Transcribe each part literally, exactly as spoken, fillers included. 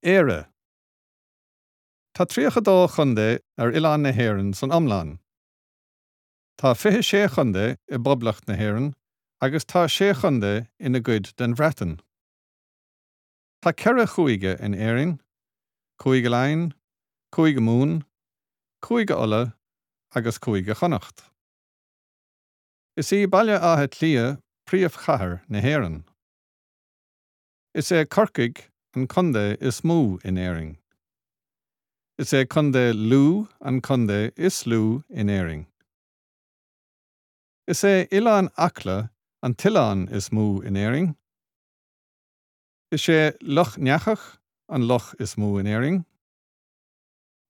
Éire. Tá tríocha dó chontae ar oileán na hÉireann san iomlán. Tá fiche sé chontae i bPoblacht na hÉireann agus tá sé chontae ina gcuid den Bhreatain. Tá ceithre chúige in Éirinn, Cúige Laighean, Cúige Mumhan, Cúige Uladh agus Cúige Chonnacht. Is í Baile Átha Cliath príomhchathair na hÉireann. Is é Corcaigh an contae is mó in Éirinn. Is é Contae Lú an contae is lú in Éirinn. Is é Oileán Acla an t-oileán is mó in Éirinn. Is é Loch Neachach an loch is mó in Éirinn.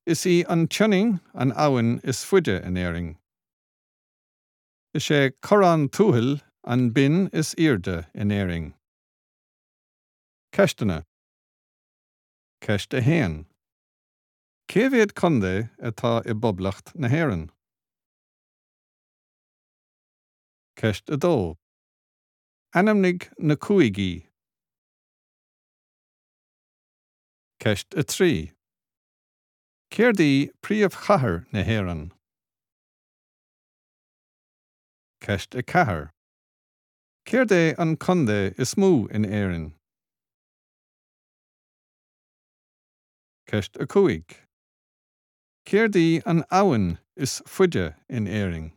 Is í an tSionainn an abhainn is faide in Éirinn. Is é Corrán Tuathail an binn is airde in Éirinn. Ceisteanna Ceist a haon. Cé mhéad contae atá i bPoblacht na hÉireann? Ceist a dó. Ainmnigh na cúigí. Ceist a trí. Céard í príomhchathair na hÉireann? Ceist a ceathair. Céard é an contae is mó in Éirinn? Ceist a cúig. Céard í an abhainn is faide in Éirinn?